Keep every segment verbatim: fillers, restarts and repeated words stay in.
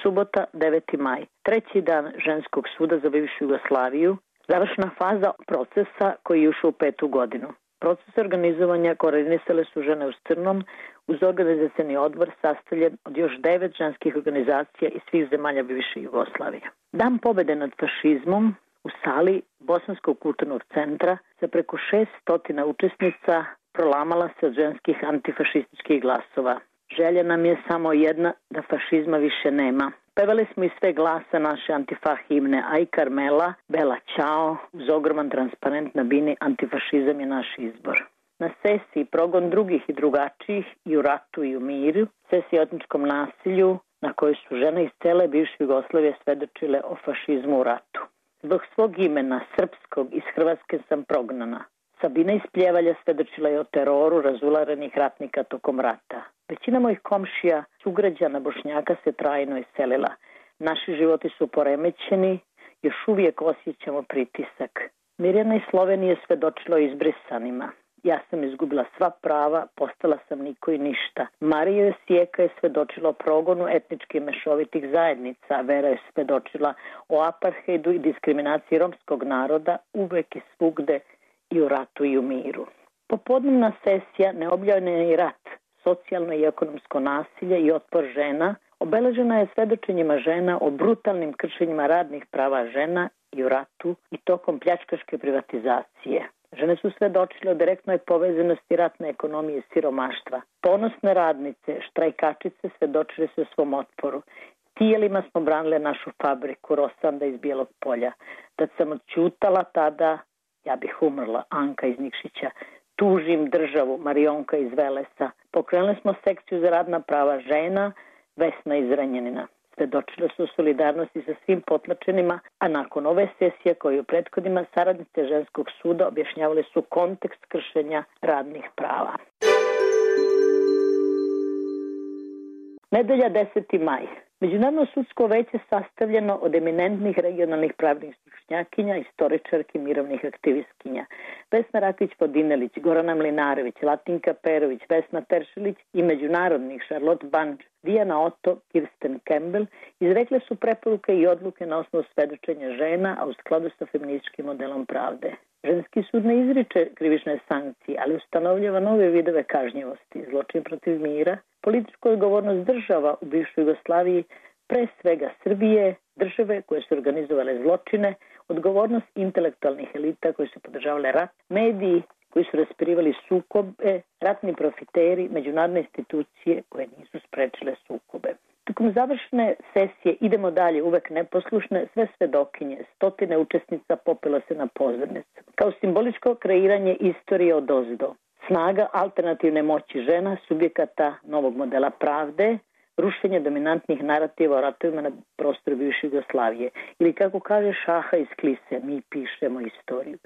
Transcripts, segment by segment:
Subota, deveti maj. Treći dan ženskog suda za bivšu Jugoslaviju. Završna faza procesa koji je ušao u petu godinu. Proces organizovanja koordinisale su žene u crnom uz organizacioni odbor sastavljen od još devet ženskih organizacija iz svih zemalja bivše Jugoslavije. Dan pobede nad fašizmom u sali Bosanskog kulturnog centra sa preko šeststo učesnica prolamala se od ženskih antifašističkih glasova. Želja nam je samo jedna, da fašizma više nema. Pevali smo iz sve glasa naše antifa himne Aj Karmela, Bela Ćao, uz ogroman transparent na bini Antifašizam je naš izbor. Na sesiji Progon drugih i drugačijih i u ratu i u miru, sesiji o etničkom nasilju na kojoj su žene iz cele bivše Jugoslavije svedočile o fašizmu u ratu. Zbog svog imena, srpskog, iz Hrvatske sam prognana. Sabina iz Pljevalja svedočila je o teroru razularenih ratnika tokom rata. Većina mojih komšija, sugrađana Bošnjaka se trajno iselila. Naši životi su poremećeni, još uvijek osjećamo pritisak. Mirjana iz Slovenije svedočila o izbrisanima. Ja sam izgubila sva prava, postala sam niko i ništa. Marija Sijeka je svedočila o progonu etničkih mešovitih zajednica. Vera je svedočila o apartheidu i diskriminaciji romskog naroda uvek i svugde i u ratu i u miru. Popodnevna sesija Neobjavljeni rat, socijalno i ekonomsko nasilje i otpor žena obeležena je svedočenjima žena o brutalnim kršenjima radnih prava žena i u ratu i tokom pljačkaške privatizacije. Žene su svedočile o direktnoj povezanosti ratne ekonomije i siromaštva. Ponosne radnice, štrajkačice svedočile su o svom otporu. Tijelima smo branile našu fabriku Rosanda iz Bijelog Polja. Da sam odćutala tada, ja bih umrla, Anka iz Nikšića. Tužim državu, Marionka iz Velesa. Pokrenuli smo sekciju za radna prava žena, Vesna iz Renjanina. Svedočile su solidarnosti sa svim potlačenima, a nakon ove sesije koje u prethodima saradnice ženskog suda objašnjavali su kontekst kršenja radnih prava. Nedelja deseti maj. Međunarodno sudsko veće sastavljeno od eminentnih regionalnih pravnih stručnjakinja, istoričarki, mirovnih aktivistkinja. Vesna Rakić-Podinelić, Gorana Mlinarević, Latinka Perović, Vesna Teršelić i međunarodnih Charlotte Banč, Dijana Otto, Kirsten Campbell izrekle su preporuke i odluke na osnovu svedočenja žena, a u skladu sa feminističkim modelom pravde. Ženski sud ne izriče krivične sankcije, ali ustanovljava nove vidove kažnjivosti, zločin protiv mira, političku odgovornost država u bivšoj Jugoslaviji, pre svega Srbije, države koje su organizovale zločine, odgovornost intelektualnih elita koji su podržavale rat, mediji koji su raspirivali sukobe, ratni profiteri, međunarodne institucije koje nisu sprečile sukobe. Tokom završne sesije Idemo dalje, uvek neposlušne, sve svedokinje, stotine učesnica popelo se na pozornicu. Kao simboličko kreiranje istorije od ozdo. Snaga alternativne moći žena, subjekata novog modela pravde, rušenje dominantnih narativa o ratovima na prostoru bivše Jugoslavije. Ili kako kaže Šaha iz Klise, mi pišemo istoriju.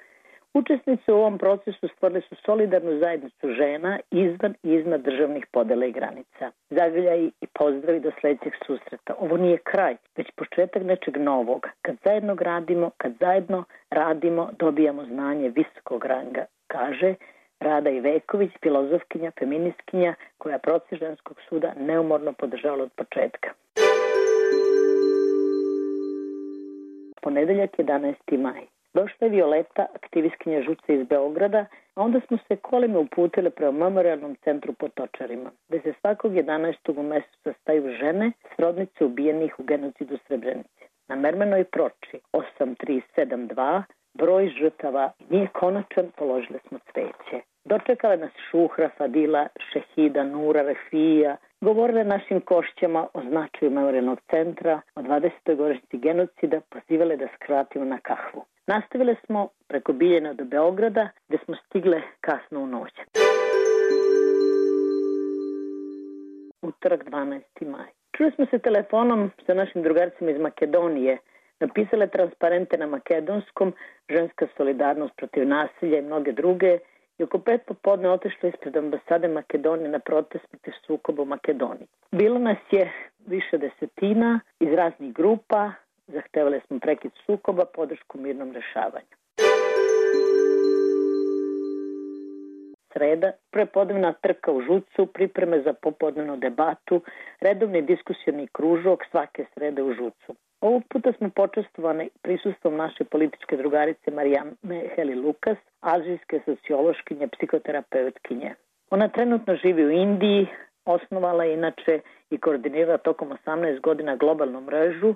Učesnice u ovom procesu stvorile su solidarnu zajednicu žena izvan i iznad državnih podela i granica. Zagrljaj i pozdravi do sledećeg susreta. Ovo nije kraj, već početak nečeg novog. Kad zajedno gradimo, kad zajedno radimo, dobijamo znanje visokog ranga, kaže Rada Iveković, filozofkinja, feministkinja, koja proces ženskog suda neumorno podržavala od početka. Ponedeljak jedanaesti maj. Došla je Violeta, aktivistkinja žuce iz Beograda, a onda smo se kolima uputile prema memorialnom centru Potočarima, gde se svakog jedanaestog u mesecu sastaju žene, srodnice ubijenih u genocidu Srebrenice. Na mermenoj proči osam tri sedam dva broj žrtava nije konačan, položile smo cveće. Dočekala nas Šuhra, Fadila, Šehida, Nura, Refija, govorile našim košćama o značaju memorialnog centra, o dvadesetoj godišnjici genocida, pozivale da skratimo na kahvu. Nastavile smo preko Biljana do Beograda, gde smo stigle kasno u noć. Utorak dvanaesti maj. Čuli smo se telefonom sa našim drugarcima iz Makedonije, napisale transparente na makedonskom, ženska solidarnost protiv nasilja i mnoge druge, i oko pet popodne otišla ispred ambasade Makedonije na protest protiv sukoba u Makedoniji. Bilo nas je više desetina iz raznih grupa, zahtevali smo prekid sukoba, podršku mirnom rešavanju. Sreda, prepodnevna trka u žucu, pripreme za popodnevnu debatu, redovni diskusioni kružok svake srede u žucu. Ovog puta smo počestovani prisustvom naše političke drugarice Marijame Heli Lukas, azijske sociološkinje, psihoterapeutkinje. Ona trenutno živi u Indiji, osnovala je inače i koordinira tokom osamnaest godina globalnu mrežu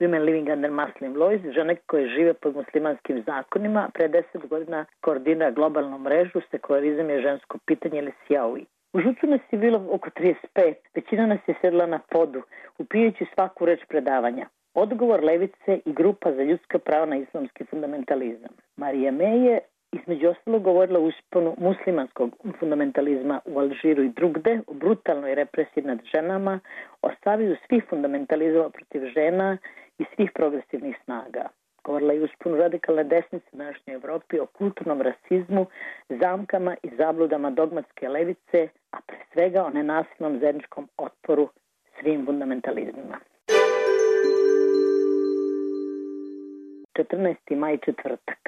Women Living Under Muslim Laws, žene koje žive pod muslimanskim zakonima. Pre deset godina koordinira globalnu mrežu Sekularizam je žensko pitanje ili Sjaui. U žucu nas je bilo oko trideset pet, većina nas je sedla na podu, upijajući svaku reč predavanja. Odgovor levice i grupa za ljudska prava na islamski fundamentalizam. Marija Me je između ostalo govorila o usponu muslimanskog fundamentalizma u Alžiru i drugde, o brutalnoj represiji nad ženama, o savjezu svih fundamentalizama protiv žena i svih progresivnih snaga. Govorila je o usponu radikalne desnice u današnjoj Evropi, o kulturnom rasizmu, zamkama i zabludama dogmatske levice, a pre svega o nenasilnom zajedničkom otporu svim fundamentalizmima. četrnaesti maj, četvrtak.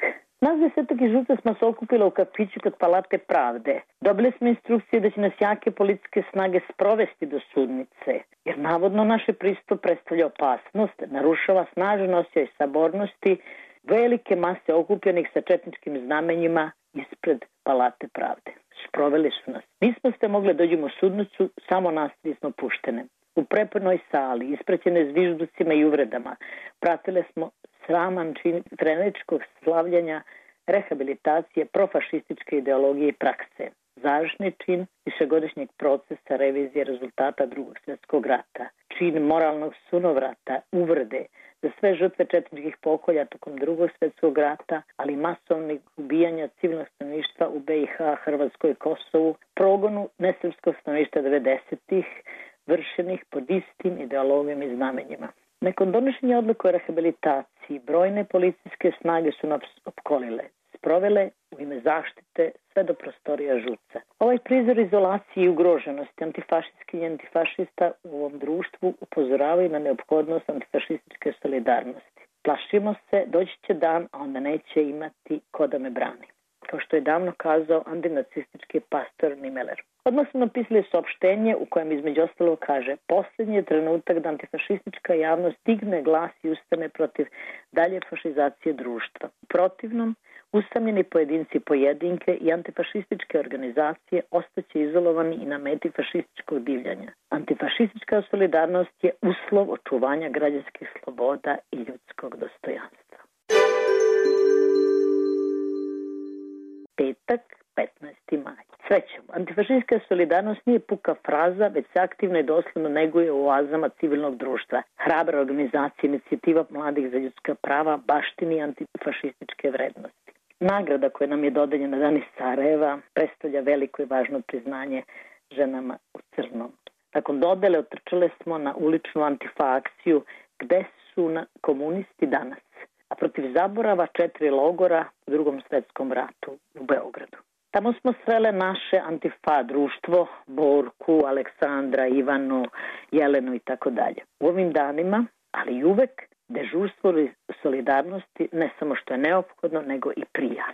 Nas desetak iz žuca smo se okupila u kafiću kod Palate pravde. Dobili smo instrukcije da će nas jake policijske snage sprovesti do sudnice, jer navodno naše prisustvo predstavlja opasnost, narušava snažan osjećaj sabornosti velike mase okupljenih sa četničkim znamenjima ispred Palate pravde. Sproveli su nas. Nismo ste mogli dođemo u sudnicu, samo nas smo puštene. U prepunoj sali, ispraćene zvižducima i uvredama, pratile smo sraman čin treneričkog slavljanja, rehabilitacije, profašističke ideologije i prakse. Završni čin višegodišnjeg procesa revizije rezultata drugog svjetskog rata. Čin moralnog sunovrata, uvrede za sve žrtve četničkih pokolja tokom drugog svjetskog rata, ali masovnih ubijanja civilnog stanovništva u be i ha, Hrvatskoj i Kosovu, progonu nesrpskog stanovništva devedesetih, vršenih pod istim ideologijom i znamenjima. Nakon donošenja odluke o rehabilitaciji, brojne policijske snage su nas opkolile, sprovele u ime zaštite sve do prostorija žuca. Ovaj prizor izolacije i ugroženosti antifašistskih i antifašista u ovom društvu upozoravaju na neophodnost antifašističke solidarnosti. Plašimo se, doći će dan, a onda neće imati ko da me brani. Kao što je davno kazao antinacistički pastor Nimeller. Odmah smo napisali saopštenje u kojem između ostalo kaže: posljednji je trenutak da antifašistička javnost digne glas i ustane protiv dalje fašizacije društva. U protivnom, usamljeni pojedinci pojedinke i antifašističke organizacije ostaće izolovani i na meti fašističkog divljanja. Antifašistička solidarnost je uslov očuvanja građanskih sloboda i ljudskog dostojanstva. Petak, petnaesti maj. Srećom, antifašistička solidarnost nije puka fraza, već se aktivno i doslovno neguje u oazama civilnog društva. Hrabra organizacija, inicijativa mladih za ljudska prava baštini antifašističke vrednosti. Nagrada koja nam je dodeljena dan iz Sarajeva predstavlja veliko i važno priznanje ženama u crnom. Nakon dodele otrčale smo na uličnu antifa akciju Gde su na komunisti danas, a protiv zaborava četiri logora u drugom svetskom ratu u Beogradu. Tamo smo srele naše antifa društvo, Borku, Aleksandra, Ivanu, Jelenu i tako dalje. U ovim danima, ali i uvek, dežurstvo solidarnosti ne samo što je neophodno, nego i prija.